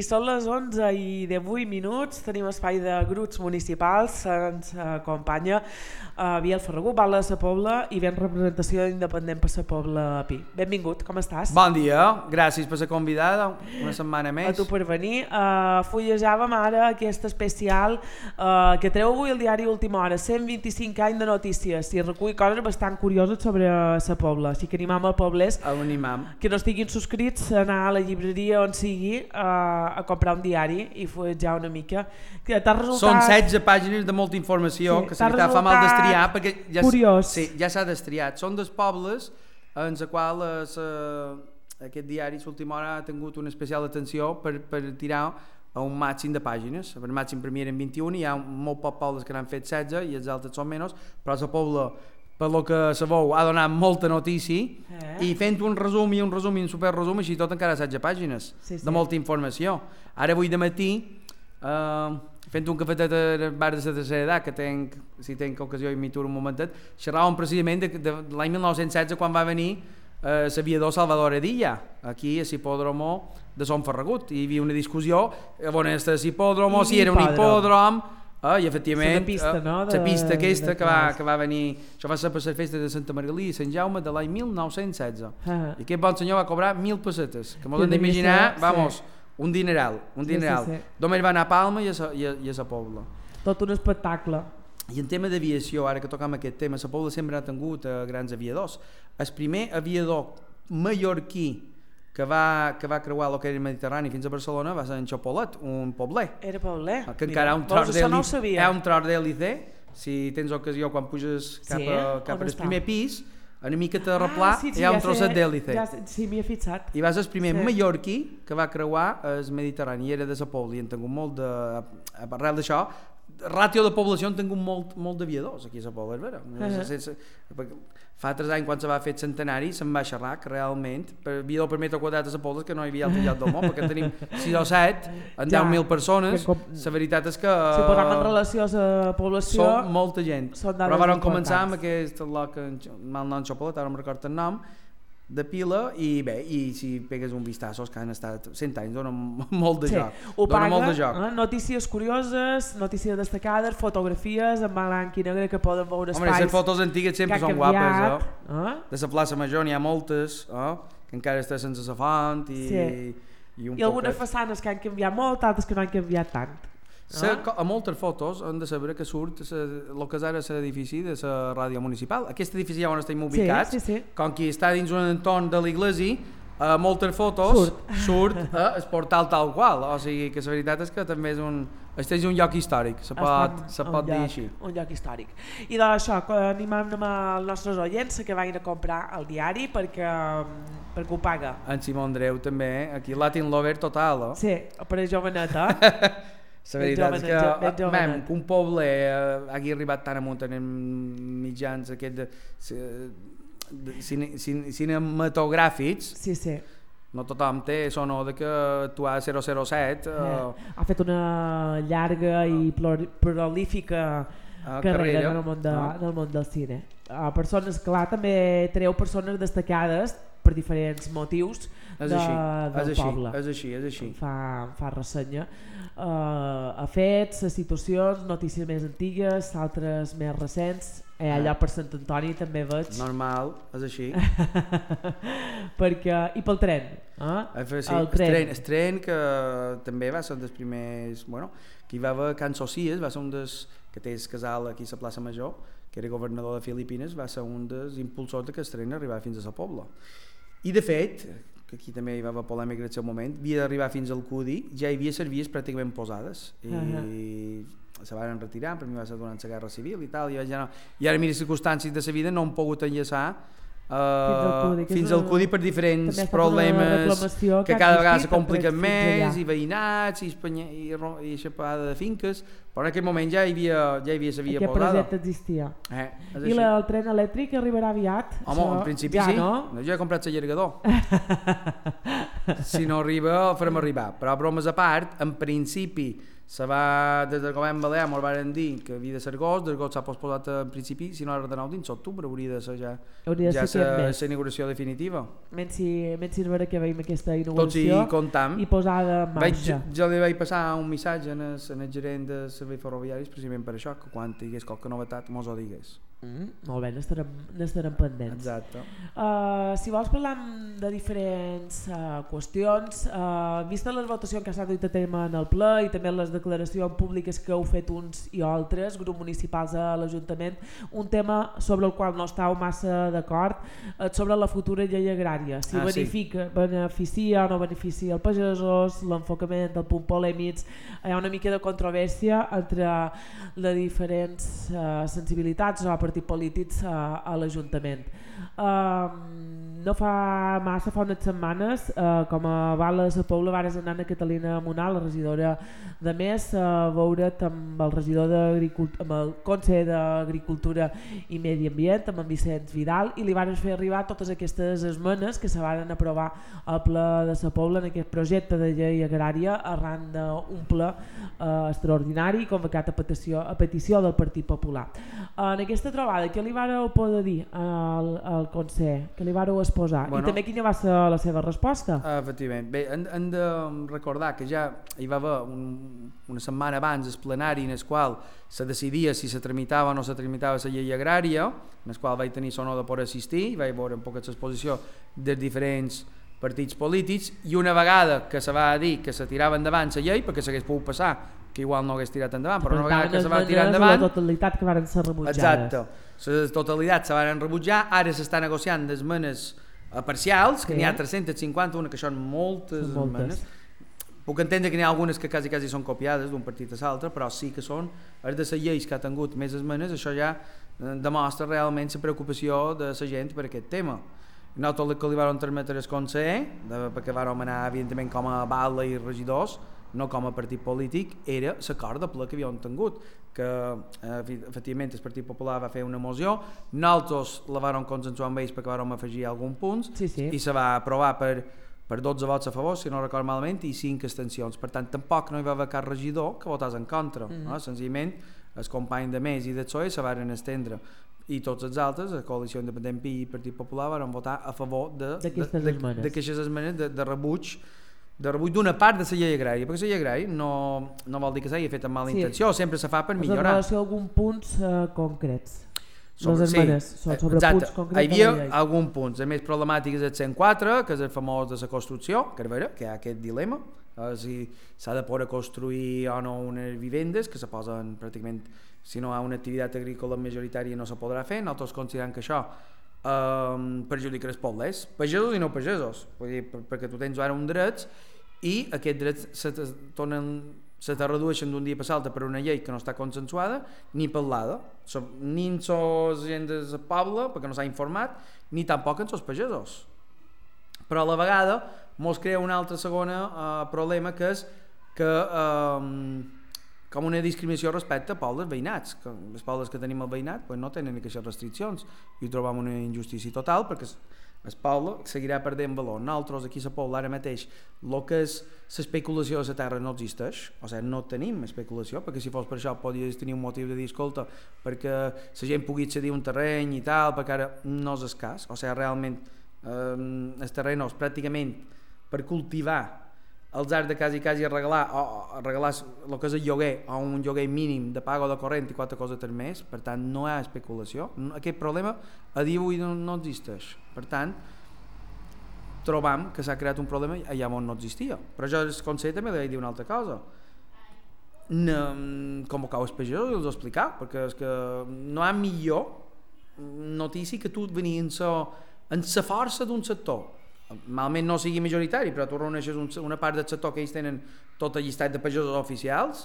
són les 11 i 18 minuts, tenim espai de grups municipals, ens acompanya Biel Ferragut, Val de la Pobla i ben representació d'Independent per la Pobla Pi. Benvingut, com estàs? Bon dia, gràcies per ser convidada, una setmana més. A tu per venir. Fullejàvem ara aquest especial que treu avui el diari Última Hora, 125 anys de notícies, i recull coses bastant curioses sobre la Pobla, així que animam els poblers que no estiguin subscrits a anar a la llibreria on sigui a comprar un diari i fullejar una mica. Són 16 pàgines de molta informació, sí, que se fa mal d'estriar perquè ja s'ha d'estriat. Són dels pobles en els quals aquest diari Última Hora ha tingut una especial atenció per tirar a un màxim de pàgines. El màxim per mi eren 21, hi ha molt pocs pobles que n'han fet 16 i els altres són menys, però la Pobla, per lo que sabeu, ha donat molta notícia i fent un resum i un superresum, així tot encara 16 pàgines de molta informació. Ara avui de matí, fent un cafetet al bar de la tercera edat, que si tenc ocasió i m'hi turo un momentet, xerràvem precisament de l'any 1916 quan va venir l'aviador Salvador Edilla, aquí a l'hipòdromo de Son Ferragut. Hi havia una discussió on era l'hipòdromo, si era un hipòdrom, i efectivament la pista aquesta que va venir, això va ser per les festes de Santa Margalida i Sant Jaume de l'any 1916 i aquest bon senyor va cobrar 1.000 pessetes, que m'ho hem d'imaginar, vamos, un dineral. Només va anar a Palma i a la Pobla. Tot un espectacle. I en tema d'aviació, ara que tocam aquest tema, la Pobla sempre ha tingut grans aviadors. El primer aviador mallorquí que va creuar el que era el Mediterrani fins a Barcelona va ser en Xopolet, un pobler. Era pobler? Que encara hi ha un tros d'hèlice, si tens ocasió quan puges cap al primer pis, una mica de replà, hi ha un trosset d'hèlice. Sí, m'hi he fixat. I va ser el primer mallorquí que va creuar el Mediterrani, i era de la Pobla, i en tingut molt de... Arrel d'això, ràtio de població han tingut molt d'aviadors aquí a la Pobla, és vera. Fa 3 anys, quan se va fer el centenari, se'n va xerrar que realment aviador per metre quadrat a la Pobla que no hi havia altre lloc del món, perquè tenim 6 o 7 en 10.000 persones. La veritat és que... Si posem en relació a la població... Són molta gent. Però vam començar amb aquest lloc, mal nom Xopolet, ara no em recordo el nom, de pila, i bé, i si pegues un vistazo, que han estat 100 anys, donen molt de joc. Ho paga, notícies curioses, notícies destacades, fotografies en blanc i negre que poden veure espais. Home, les fotos antigues sempre són guapes, de la plaça Major n'hi ha moltes, que encara està sense la font, i algunes façanes que han canviat molt, altres que no han canviat tant. A moltes fotos hem de saber que surt el que és ara l'edifici de la ràdio municipal. Aquest edifici ja on estem ubicats, com que està dins un entorn de l'església, a moltes fotos surt el portal tal qual, o sigui que la veritat és que també és un lloc històric, se pot dir així. Un lloc històric. I d'això, animem els nostres oients que vagin a comprar el diari perquè ho paga. En Simó Andreu també, aquí Latin Lover total. Sí, per a joveneta. La veritat és que un poble hagi arribat tan amunt en mitjans cinematogràfics, no tothom té sonor que actuar a 007. Ha fet una llarga i prolífica carrera en el món del cine. Persones, clar, també treu persones destacades per diferents motius del poble. És així. Fa ressenya a fets, a situacions, notícies més antigues, altres més recents. Allà per Sant Antoni també veig. Normal, és així. I pel tren. El tren que també va ser un dels primers... que hi va haver Can Socies, va ser un dels que té el casal aquí a la plaça Major, que era governador de Filipines, va ser un dels impulsors que el tren arribava fins a la Pobla. I de fet, que aquí també hi va haver polèmica en el seu moment, havia d'arribar fins al Cudi, ja hi havia servies pràcticament posades i se van retirar, per mi va ser durant la Guerra Civil i tal, i ara mira les circumstàncies de la vida no han pogut enllaçar fins al Cudi per diferents problemes que cada vegada se compliquen més, i veïnats i aixapada de finques, però en aquell moment ja hi havia la via posada. Aquest projecte existia. I el tren elèctric arribarà aviat? Home, en principi sí, jo he comprat l'allargador. Si no arriba, el farem arribar, però bromes a part, en principi Se va, des del govern balear ens van dir que havia de ser agost, l'agost s'ha posposat en principi, si no ara de nou dins octubre hauria de ser ja la inauguració definitiva. Menys si veure que veiem aquesta inauguració tots hi comptam. I posada en marxa. Jo li vaig passar un missatge en el gerent de serveis ferroviaris precisament per això, que quan hi hagués qualque novetat mos ho digués. Molt bé, n'estarem pendents. Exacte. Si vols parlar de diferents qüestions, vista les votacions que s'han dut a terme en el ple i també les declaracions públiques que heu fet uns i altres, grups municipals a l'Ajuntament, un tema sobre el qual no estàu massa d'acord, sobre la futura llei agrària, si beneficia o no beneficia els pagesos, l'enfocament del punt polèmics, hi ha una mica de controvèrsia entre les diferents sensibilitats o partits polítics a l'Ajuntament. No fa massa, fa unes setmanes, com a Val de Sa Pobla vares anar a Catalina Monà, la regidora de Més, a veure't amb el regidor amb el Consell d'Agricultura i Medi Ambient, amb en Vicenç Vidal, i li van fer arribar totes aquestes esmenes que se van aprovar al ple de Sa Pobla en aquest projecte de llei agrària arran d'un ple extraordinari convocat a petició del Partit Popular. En aquesta trobada, què li vareu poder dir al Consell? Què li vareu exposar? I també quina va ser la seva resposta? Efectivament. Bé, hem de recordar que ja hi va haver una setmana abans el plenari en el qual se decidia si se tramitava o no se tramitava la llei agrària, en el qual vaig tenir l'honor de poder assistir i vaig veure un poc l'exposició dels diferents partits polítics, i una vegada que se va dir que se tirava endavant la llei, perquè s'hagués pogut passar que igual no hagués tirat endavant, però una vegada que se va tirar endavant... La totalitat que van ser rebutjades. Exacte, la totalitat se van rebutjar, ara s'està negociant d'esmenes parcials, que n'hi ha 351, que són moltes esmenes. Puc entendre que n'hi ha algunes que quasi són copiades d'un partit a l'altre, però sí que són, de les lleis que ha tingut més esmenes, això ja demostra realment la preocupació de la gent per aquest tema. Nosaltres el que li vam transmetre al Consell, perquè vam anar evidentment com a bala i regidors, no com a partit polític, era l'acord de ple que havíem tingut, que efectivament el Partit Popular va fer una moció, nosaltres la vam consensuar amb ells perquè vam afegir alguns punts, i se va aprovar per 12 vots a favor, si no recordo malament, i 5 abstencions. Per tant, tampoc no hi va haver cap regidor que votés en contra. Senzillament, els companys de Més i del PSOE se van estendre, i tots els altres, la Coalició Independent i el Partit Popular, van votar a favor d'aquestes esmenes de rebuig d'una part de la llei agrària, perquè la llei agrària no vol dir que s'hagi fet amb mala intenció, sempre se fa per millorar. En relació a alguns punts concrets. Les esmenes són sobre punts concrets. Hi havia alguns punts. El més problemàtic és el 104, que és el famós de la construcció, que hi ha aquest dilema, si s'ha de poder construir o no unes vivendes que se posen pràcticament, si no hi ha una activitat agrícola majoritària no se podrà fer. Nosaltres considerem que això perjudica els pobles, pagesos i no pagesos, perquè tu tens ara un drets i aquests drets se te redueixen d'un dia per l'altre per una llei que no està consensuada ni parlada, ni en la gent del poble perquè no s'ha informat, ni tampoc en els pagesos. Però a la vegada mos crea un altre segon problema, que és que com una discriminació respecte a pobles veïnats, que els pobles que tenim al veïnat no tenen aquestes restriccions, i trobam una injustícia total perquè el poble seguirà perdent valor. Nosaltres aquí a la Pobla ara mateix el que és l'especulació de la terra no existeix, o sigui, no tenim especulació, perquè si fos per això podries tenir un motiu de dir, escolta, perquè la gent pugui accedir a un terreny i tal, perquè ara no és escàs, o sigui, realment els terrenys pràcticament per cultivar els has de quasi arreglar el que és el lloguer o un lloguer mínim de pago de corrent i 4 coses més, per tant no hi ha especulació. Aquest problema a dia d'avui no existeix, per tant trobam que s'ha creat un problema allà on no existia. Però jo al Consell també li vaig dir una altra cosa, convocar els pagesos i els explicar, perquè és que no hi ha millor notícia que tu venir en la força d'un sector, malament no sigui majoritari, però tu reuneixes una part del sector que ells tenen tot el llistat de pagesos oficials,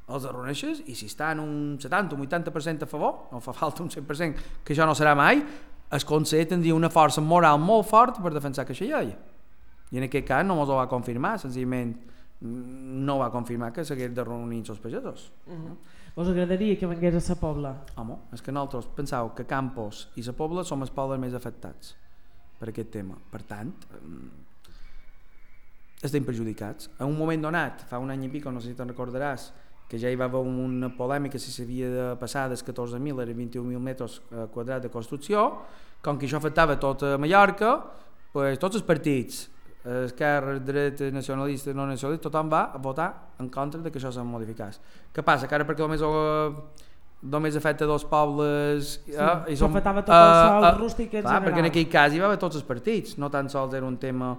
els reuneixes, i si estan un 70 o un 80% a favor, no fa falta un 100%, que això no serà mai, el Consell tindria una força moral molt forta per defensar aquesta llei. I en aquest cas no ens ho va confirmar, senzillament no va confirmar que s'hagués de reunir els pagesos. Us agradaria que vengués a Sa Pobla? Home, és que nosaltres penseu que Campos i Sa Pobla som els pobles més afectats per aquest tema. Per tant, estem perjudicats. En un moment donat, fa un any i pico, no sé si te'n recordaràs, que ja hi va haver una polèmica si s'havia de passar dels 14.000 a 21.000 metres quadrats de construcció, com que això afectava tot a Mallorca, pues, tots els partits, esquerra, dreta, nacionalista, no nacionalista, tothom va a votar en contra de que això se modificés. Què passa? Que ara perquè només afecta dos pobles... Sí, s'afectava tot el sol rústic en general. Perquè en aquell cas hi va haver tots els partits, no tan sols era un tema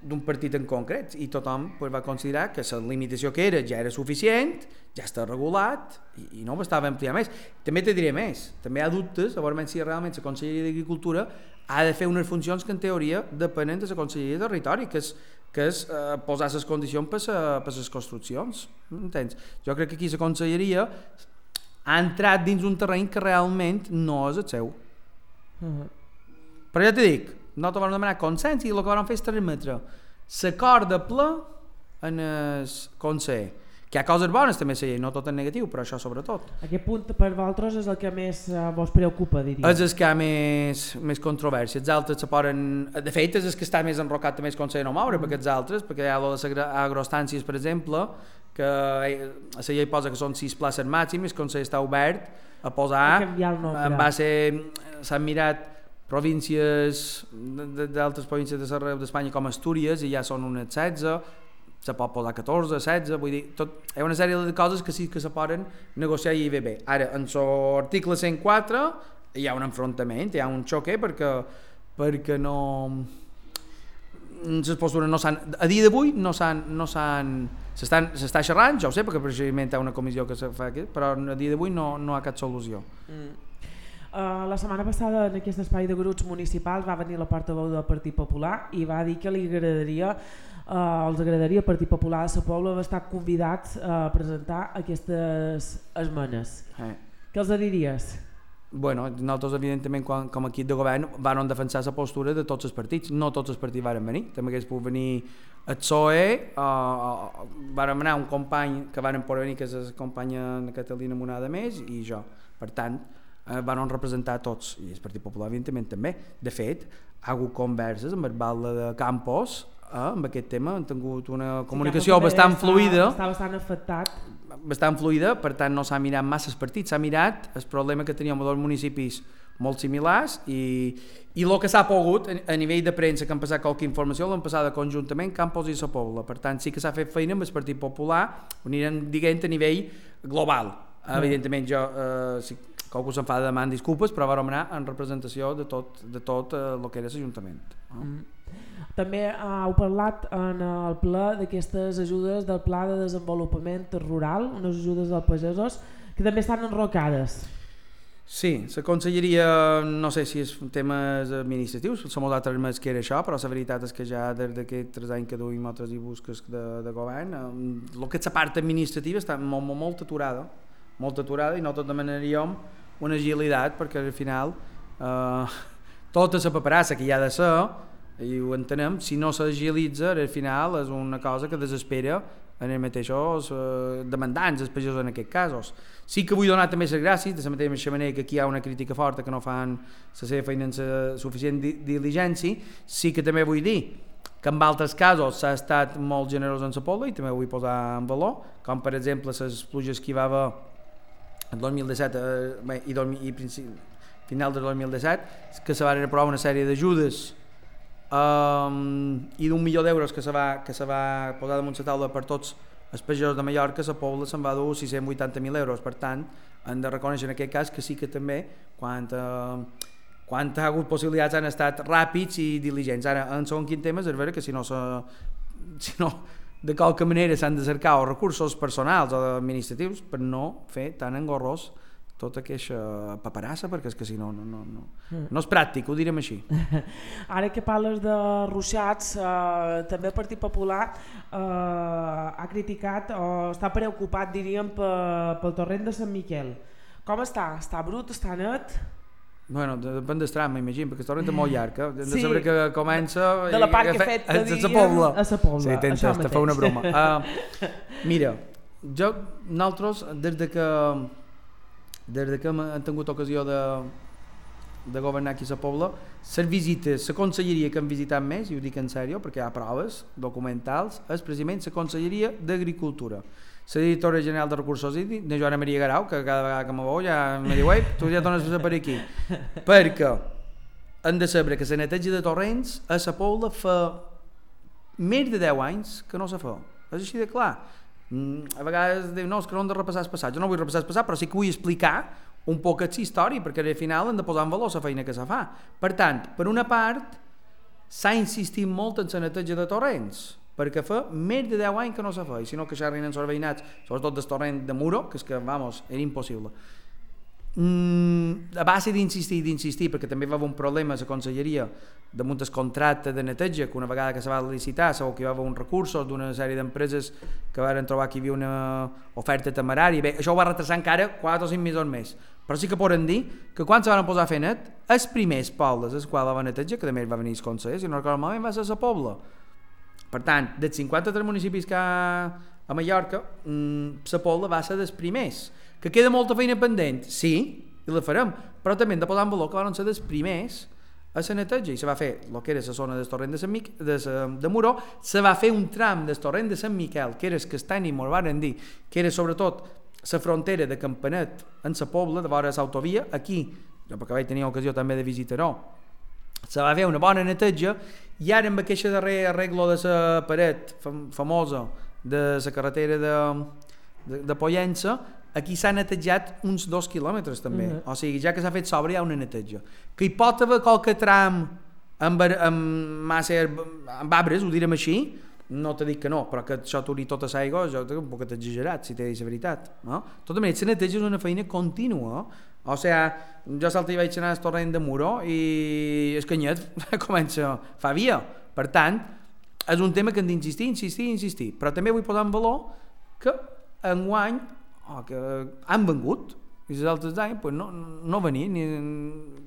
d'un partit en concret, i tothom va considerar que la limitació que era ja era suficient, ja està regulat i no bastava ampliar més. També te diré més, també hi ha dubtes a veure si realment la Conselleria d'Agricultura ha de fer unes funcions que en teoria depenen de la Conselleria de Territori, que és posar les condicions per les construccions, entens? Jo crec que aquí la Conselleria ha entrat dins un terreny que realment no és el seu. Però ja t'he dic, no te van demanar consens i el que van fer és transmetre l'acord de ple en el Consell, que hi ha coses bones també, no tot en negatiu, però això sobretot. Aquest punt per vosaltres és el que més vos preocupa, diria? És el que hi ha més controvèrsia. Els altres se poden... De fet, és el que està més enrocat també el Consell no moure, perquè els altres, perquè hi ha les agrostàncies, per exemple, que la llei posa que són 6 places màximes, el Consell està obert a posar... En base... S'han mirat províncies d'altres províncies d'Espanya com Astúries i ja són unes 16, se pot posar 14, 16, vull dir, hi ha una sèrie de coses que sí que se poden negociar i bé. Ara, en l'article 104 hi ha un enfrontament, hi ha un xoque perquè no... Les postures no s'han... A dia d'avui no s'han... S'està xerrant, ja ho sé, perquè precisament hi ha una comissió que se fa aquí, però a dia d'avui no hi ha cap solució. La setmana passada en aquest espai de grups municipals va venir la portaveu del Partit Popular i va dir que els agradaria al Partit Popular de la Pobla estar convidats a presentar aquestes esmenes. Què els diries? Bueno, nosaltres evidentment com a equip de govern van defensar la postura de tots els partits, no tots els partits van venir, també hagués pogut venir el PSOE, van anar un company que van poder venir, que és la companya Catalina Monada més, i jo, per tant van representar tots, i el Partit Popular evidentment també. De fet, ha hagut converses amb el Balda de Campos amb aquest tema, han tingut una comunicació bastant fluida, està bastant afectat, bastant fluida, per tant no s'ha mirat massa els partits, s'ha mirat el problema que teníem a dos municipis molt similars i el que s'ha pogut a nivell de premsa, que han passat qualque informació, l'han passada conjuntament Campos i la Pobla, per tant sí que s'ha fet feina amb el Partit Popular, ho anirem dient a nivell global. Evidentment jo, si qualcú se'n fa de demanar disculpes, però vam anar en representació de tot el que era l'Ajuntament. També heu parlat en el ple d'aquestes ajudes del Pla de Desenvolupament Rural, unes ajudes als pagesos que també estan enrocades. Sí, la conselleria, no sé si és temes administratius, som els altres més que era això, però la veritat és que ja des d'aquests 3 anys que duim altres i busques de govern, el que és la part administrativa està molt aturada, i nosaltres demanaríem una agilitat, perquè al final tota la paperassa que hi ha de ser, i ho entenem, si no s'agilitza, al final és una cosa que desespera en els mateixos demandants, els pagesos en aquests casos. Sí que vull donar també les gràcies, de la mateixa manera que aquí hi ha una crítica forta que no fan la seva feina amb suficient diligència, sí que també vull dir que en altres casos s'ha estat molt generós en la Pobla i també ho vull posar en valor, com per exemple les pluges que hi va haver en 2017 i final del 2017, que se van aprovar una sèrie d'ajudes i d'1 milió d'euros que se va posar damunt la taula per tots els pagesos de Mallorca, la Pobla se'n va dur 680.000 euros, per tant hem de reconèixer en aquest cas que sí que també quan ha hagut possibilitats han estat ràpids i diligents. Ara, en segon quin tema és vera que si no de qualque manera s'han de cercar o recursos personals o administratius per no fer tan engorrós tota aquesta paperassa, perquè és que si no és pràctic, ho direm així. Ara que parles de ruixats, també el Partit Popular ha criticat o està preocupat, diríem, pel torrent de Sant Miquel. Com està? Està brut? Està net? Bueno, depèn del tram, m'imagino, perquè el torrent és molt llarg, hem de saber que comença de la part que he fet, a la Pobla. Sí, t'entens, te fa una broma. Mira, nosaltres, des de que hem tingut ocasió de governar aquí a la Pobla, les visites, la conselleria que hem visitat més, i ho dic en sèrio perquè hi ha proves documentals, és precisament la Conselleria d'Agricultura. La directora general de Recursos Hídrics, de Joana Maria Garau, que cada vegada que me veu ja me diu tu ja tornes a per aquí, perquè hem de saber que la neteja de torrents a la Pobla fa més de 10 anys que no se fa, és així de clar. A vegades diu, no, és que no hem de repassar el passat. Jo no vull repassar el passat, però sí que vull explicar un poc la història, perquè al final hem de posar en valor la feina que se fa. Per tant, per una part, s'ha insistit molt en la neteja de torrents, perquè fa més de 10 anys que no se fa, i si no que xerrin els veïnats, sobretot del torrent de Muro, que és que, vamos, era impossible. A base d'insistir, perquè també va haver un problema a la conselleria damunt el contracte de neteja, que una vegada que se va licitar segur que hi va haver uns recursos d'una sèrie d'empreses que van trobar que hi havia una oferta temerària. Bé, això ho va retrasar encara 4 o 5 mesos més, però sí que poden dir que quan se van posar a fer net, els primers pobles els quals va neteja, que també va venir els consellers, i no recordo malament, va ser la Pobla. Per tant, dels 53 municipis que hi ha a Mallorca, la Pobla va ser dels primers. Que queda molta feina pendent? Sí, i la farem, però també hem de posar en valor que van ser dels primers a la neteja, i se va fer el que era la zona del torrent de Muro, se va fer un tram del torrent de Sant Miquel, que era el Castany, i m'ho van dir, que era sobretot la frontera de Campanet en la Pobla, de vora l'autovia, aquí, jo perquè vaig tenir ocasió també de visitar-ho, se va fer una bona neteja, i ara amb aquest darrer arreglo de la paret famosa de la carretera de Pollença, aquí s'ha netejat uns 2 quilòmetres també, o sigui, ja que s'ha fet sobre hi ha una neteja. Que hi pot haver qualque tram amb arbres, ho direm així, no t'he dit que no, però que això t'hauria tota l'aigua, jo un poc exagerat, si t'he dit la veritat. No? Tota manera, la neteja és una feina contínua, o sigui, jo salta i vaig anar al torrent de Muro i el canyet comença, fa via. Per tant, és un tema que hem d'insistir, però també vull posar en valor que enguany que han vengut i els altres anys pues no venien,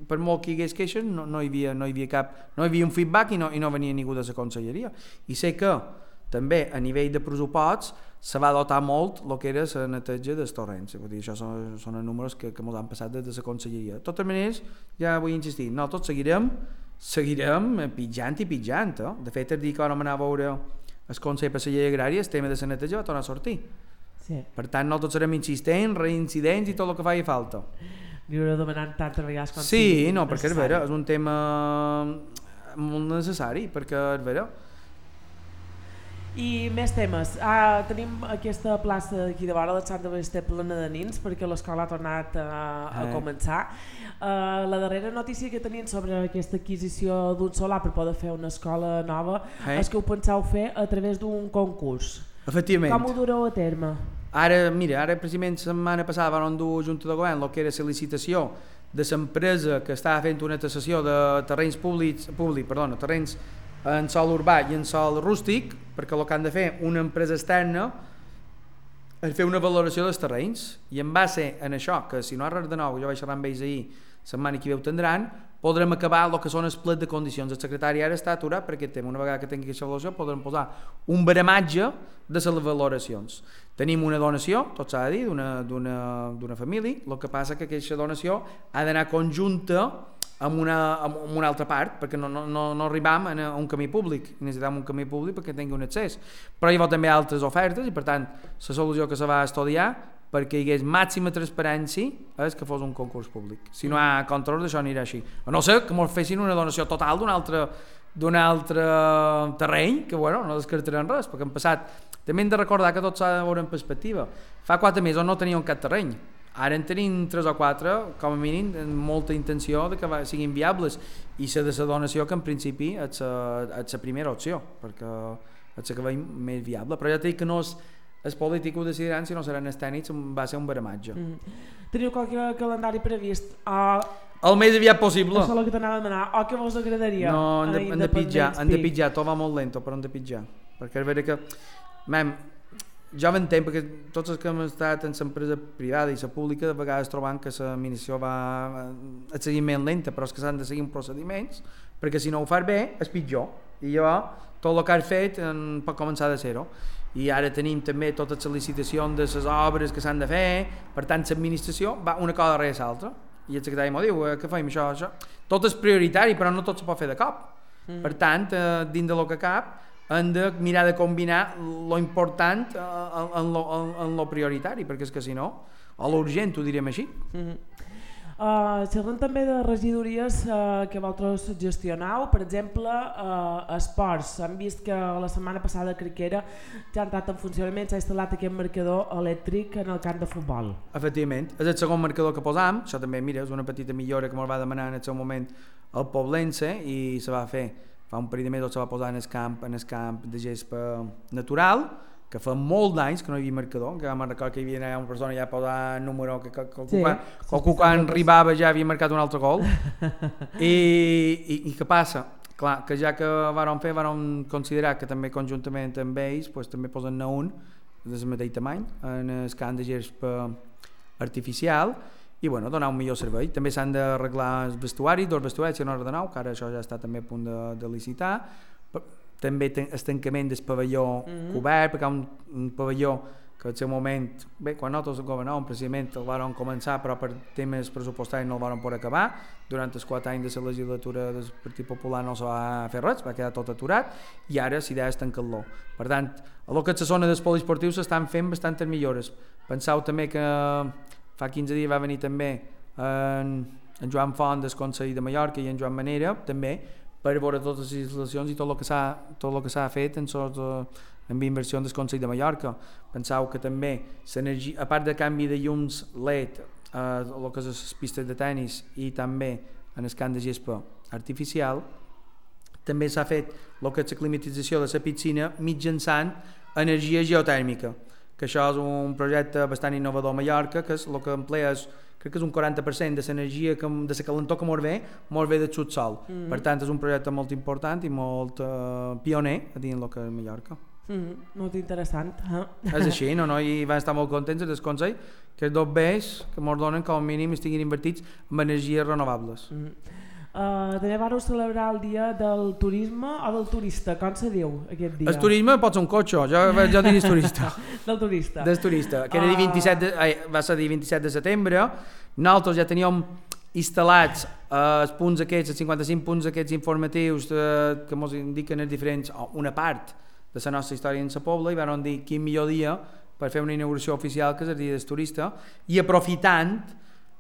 per molt que hi hagués queixes no hi havia un feedback i no venia ningú de la conselleria, i sé que també a nivell de pressupost se va dotar molt el que era la neteja dels torrents, vull dir, això són els números que ens han passat des de la conselleria. De totes maneres, ja vull insistir, nosaltres seguirem pitjant, de fet el dia que vam anar a veure el Consell per la Llei Agrària, el tema de la neteja va tornar a sortir. Sí. Per tant, nosaltres serem insistents, reincidents i tot el que faci falta. Li hauré demanat tantes vegades com sí, no, perquè és vera, és un tema molt necessari, perquè és vera. I més temes. Tenim aquesta plaça d'aquí de vora, la Santa Ballester, plena de nins, perquè l'escola ha tornat a començar. La darrera notícia que tenien sobre aquesta adquisició d'un solar per poder fer una escola nova és que ho penseu fer a través d'un concurs. Efectivament. Com ho dureu a terme? Ara precisament la setmana passada van dur a Junta de Govern el que era la licitació de l'empresa que estava fent una tasació de terrenys terrenys en sòl urbà i en sòl rústic, perquè el que han de fer una empresa externa és fer una valoració dels terrenys, i en base en això, que si no ha res de nou, jo vaig xerrar amb ells ahir, setmana que ve ho tindran, podrem acabar el que són els plets de condicions. El secretari ara està aturat perquè tema, una vegada que tingui aquesta valoració podrem posar un baramatge de les valoracions. Tenim una donació, tot s'ha de dir, d'una família, el que passa que aquesta donació ha d'anar conjunta amb una altra part, perquè no arribam a un camí públic, necessitem un camí públic perquè tingui un accés. Però hi ha també altres ofertes i per tant la solució que se va estudiar perquè hi hagués màxima transparència és que fos un concurs públic. Si no hi ha control, això anirà així. A no ser que ens fessin una donació total d'un altre terreny, que bueno, no descartarem res, perquè han passat. També hem de recordar que tot s'ha de veure en perspectiva. Fa 4 mesos no teníem cap terreny. Ara en tenim 3 o 4, com a mínim, amb molta intenció de que siguin viables, i la de la donació, que en principi és la primera opció, perquè és la que veiem més viable. Però ja t'he dit que no els polítics ho decidiran, si no seran els tècnics, va ser un baramatge. Teniu qualque calendari previst? El més aviat possible. Això és el que t'anava a demanar. O què vos agradaria? No, hem de pitjar, tot va molt lento, però hem de pitjar. Perquè és vera que... jo m'entenc, perquè tots els que hem estat en l'empresa privada i la pública, de vegades trobant que l'administració va a seguir més lenta, però és que s'han de seguir procediments, perquè si no ho fas bé, és pitjor. I llavors, tot el que has fet pot començar de zero. I ara tenim també totes les licitacions de les obres que s'han de fer, per tant l'administració va una cosa darrere l'altra, I el secretari m'ho diu, què fem això? Tot és prioritari, però no tot se pot fer de cop. Per tant, dins de lo que cap, hem de mirar de combinar lo important en lo prioritari, perquè és que si no, o l'urgent, ho direm així. Xerrem també de regidories que vosaltres gestioneu, per exemple esports. Hem vist que la setmana passada crec que era ja ha entrat en funcionament, s'ha instal·lat aquest marcador elèctric en el camp de futbol. Efectivament, és el segon marcador que posam, això també mira, és una petita millora que ens va demanar en el seu moment el Poblense i se va fer, fa un parell de mesos se va posar en el camp de gespa natural, que fa molt d'anys que no hi havia marcador, que vam recordar que hi havia una persona ja posant número, que quan arribava ja havia marcat un altre gol. I què passa? Clar, que ja que vàrem considerar que també conjuntament amb ells pues, també posen un del mateix tamany en el camp de gespa artificial i bueno, donar un millor servei. També s'han d'arreglar els vestuaris, dos vestuaris que no ordenau, que ara això ja està també a punt de licitar. També el tancament del pavelló cobert, perquè hi ha un pavelló que al seu moment, bé, quan nosaltres el governàvem precisament el van començar, però per temes pressupostaris no el van poder acabar. Durant els 4 anys de la legislatura del Partit Popular no se va fer res, va quedar tot aturat i ara l'idea és tancar-lo. Per tant, a lo que és la zona dels poliesportius s'estan fent bastantes millores. Penseu també que fa 15 dies va venir també en Joan Font del Consell de Mallorca i en Joan Manera també per veure totes les instal·lacions i tot el que s'ha fet en inversió del Consell de Mallorca. Penseu que també l'energia, a part de canvi de llums LED, el que és les pistes de tennis i també en el camp de gespa artificial, també s'ha fet el que és la climatització de la piscina mitjançant energia geotèrmica, que això és un projecte bastant innovador a Mallorca, que és el que emplea crec que és un 40% de l'energia, de la calentor que mos ve del subsol. Per tant, és un projecte molt important i molt pioner a dins el que és Mallorca. Molt interessant. És així, i van estar molt contents del Consell que els dos bés que ens donen com a mínim estiguin invertits en energies renovables. També vàreu celebrar el dia del turisme o del turista, com se diu aquest dia? El turisme pot ser un cotxe, jo diria turista. Del turista. Del turista, que era va ser el 27 de setembre. Nosaltres ja teníem instal·lats els punts aquests, els 55 punts aquests informatius que ens indiquen els diferents, una part de la nostra història en la Pobla, i vam dir quin millor dia per fer una inauguració oficial que és el dia del turista, i aprofitant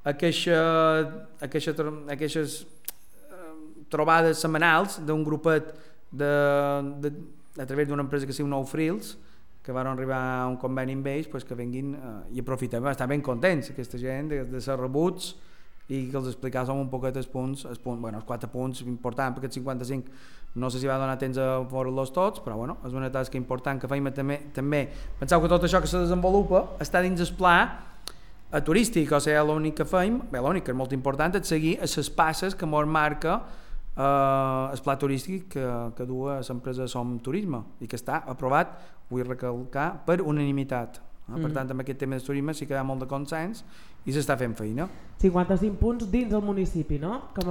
aquestes trobades setmanals d'un grupet a través d'una empresa que es diu Nou Frills, que van arribar a un conveni amb ells, pues, que venguin i aprofitem, estan ben contents aquesta gent de ser rebuts i que els explicàssim un poquet els punts, els 4 punts importants, perquè els 55 no sé si va donar temps a veure-los tots, però bueno, és una tasca important que feim també. Penseu que tot això que se desenvolupa està dins el pla turístic, o sigui, l'únic que feim, l'únic que és molt important, és seguir les passes que ens marca el pla turístic que du l'empresa Som Turisme i que està aprovat, vull recalcar, per unanimitat. Per tant, amb aquest tema del turisme sí que hi ha molt de consens i s'està fent feina. 55 punts dins del municipi, no? Com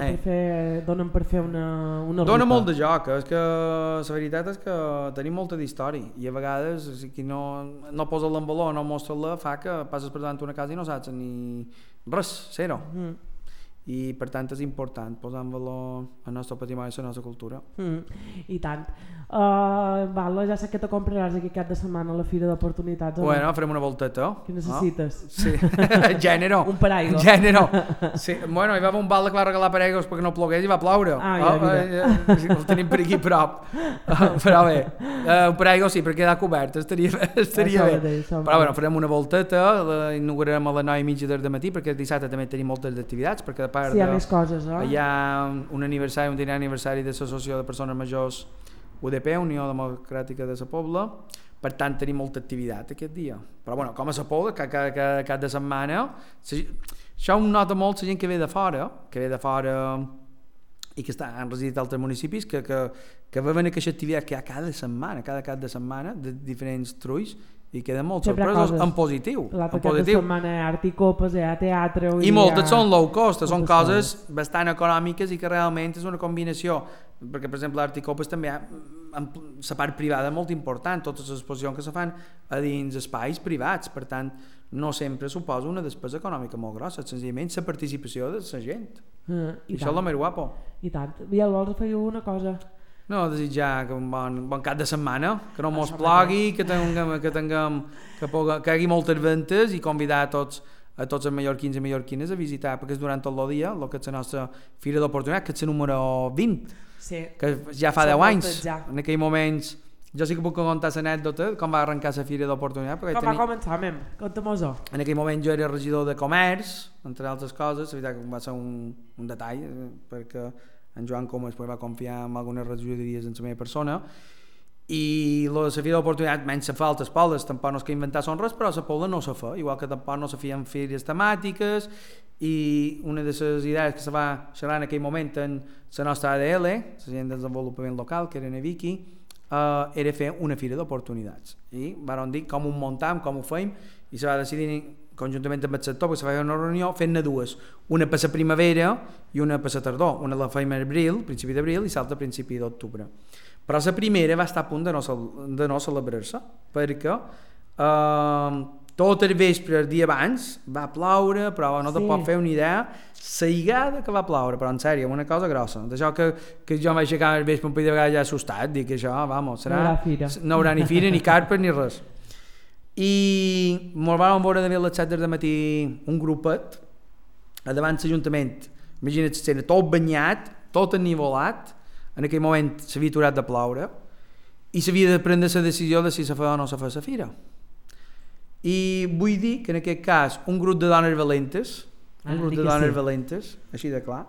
donen per fer una ruta. Dona molt de joc, és que la veritat és que tenim molta d'història i a vegades si qui no posa en valor, no mostra-la, fa que passes per davant una casa i no saps ni res, zero. I per tant és important posar en valor el nostre patrimoni i la nostra cultura. I tant. Ja sé que te compraràs aquest cap de setmana a la Fira d'Oportunitats. Bueno, farem una volteta. Què necessites? Sí, gènero. Un paraigua. Gènero. Sí. Bueno, hi va haver un bal que va regalar paraigües perquè no plogués i va ploure. El tenim per aquí prop. Però bé, un paraigua sí, per quedar cobert, estaria bé. Però bueno, farem una volteta, inaugurarem a les 9:30 del matí perquè el dissabte també tenim moltes activitats, perquè sí, hi ha més coses, hi ha un dinar aniversari de l'Associació de Persones Majors UDP, Unió Democràtica de la Pobla, per tant tenim molta activitat aquest dia. Però bueno, com a la Pobla, cada cap de setmana, això ho nota molt la gent que ve de fora i que han residit a altres municipis, que veuen aquesta activitat que hi ha cada cap de setmana, de diferents trulls, i queden molt sorpresos en positiu. L'altre cap de setmana hi ha art i copes, hi ha teatre... I moltes són low cost, són coses bastant econòmiques i que realment és una combinació, perquè per exemple l'art i copes també hi ha la part privada molt important, totes les exposicions que se fan a dins espais privats, per tant no sempre suposa una despesa econòmica molt grossa, senzillament la participació de la gent. I això és el més guapo. I tant. Biel, vols afegir una cosa? No, desitjar un bon cap de setmana, que no mos plogui, que hagi moltes ventes i convidar a tots els mallorquins i mallorquines a visitar, perquè és durant tot el dia el que és la nostra Fira d'Oportunitat, que és la número 20, que ja fa 10 anys. En aquells moments, jo sí que puc contar l'anècdota com va arrencar la Fira d'Oportunitat. Com va començar, conta-mos-ho. En aquell moment jo era regidor de comerç, entre altres coses, la veritat que va ser un detall, perquè en Joan Comas va confiar en algunes regidories en la meva persona, i la Fira d'Oportunitat menys se fa altres pobles, tampoc no és que inventar son res, però la pobla no se fa, igual que tampoc no se feien fires temàtiques, i una de les idees que se va xerrar en aquell moment en la nostra ADL, l'Agent de Desenvolupament Local, que era en Vicky, era fer una Fira d'Oportunitats, i vam dir com ho muntem, com ho fèiem, i se va decidir conjuntament amb el sector, perquè se va fer una reunió fent-ne dues, una per la primavera i una per la tardor. Una la fèiem a abril, principi d'abril, i l'altra a principi d'octubre. Però la primera va estar a punt de no celebrar-se, perquè tot el vespre, el dia abans, va ploure, però no te pot fer una idea la lligada que va ploure, però en sèrio, una cosa grossa. D'això que jo vaig aixecar el vespre un parell de vegades ja assustat, dic que això, vamos, serà... No haurà ni fira, ni carpes, ni res. I ens vam veure de les 7 del matí un grupet a davant l'Ajuntament, imagina't l'escena, tot banyat, tot ennivolat, en aquell moment s'havia aturat de ploure i s'havia de prendre la decisió de si se feia o no se feia la fira. I vull dir que en aquest cas un grup de dones valentes, així de clar,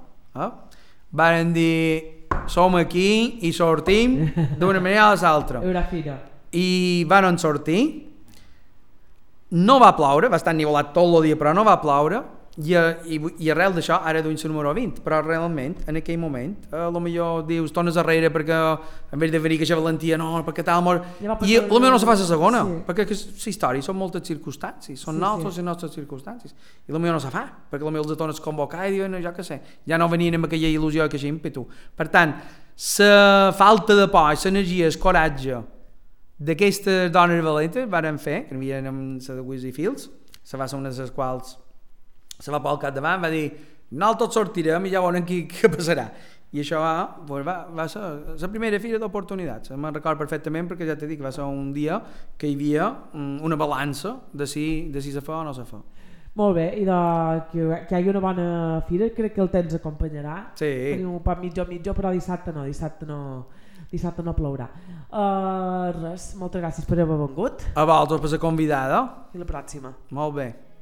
varen dir som aquí i sortim d'una manera a l'altra. I van sortir. No va ploure, va estar ennivolat tot el dia, però no va ploure, i arrel d'això ara duim la número 20, però realment en aquell moment potser dius, tornes arrere perquè en vez de venir que valentia, no, perquè tal amor, i potser no se fa la segona, perquè la història són moltes circumstàncies, són nosaltres les nostres circumstàncies, i potser no se fa, perquè potser els tornes a convocar i diuen, jo què sé, ja no venien amb aquella il·lusió i aquell ímpetu. Per tant, la falta de por, l'energia, el coratge d'aquestes dones valentes varen fer, que n'hi havia amb la de Wiz i Fields, se va ser una de les quals se va pel capdavant, va dir nosaltres sortirem i ja veurem què passarà, i això va ser la primera Fira d'Oportunitats. Me'n recordo perfectament perquè ja t'he dit que va ser un dia que hi havia una balança de si se fa o no se fa. Molt bé, i que hi hagi una bona fira, crec que el temps acompanyarà. Sí. Tenim un poc mitjo, però dissabte no plourà. Res, moltes gràcies per haver vengut. A vosaltres per ser convidada. I la pròxima. Molt bé.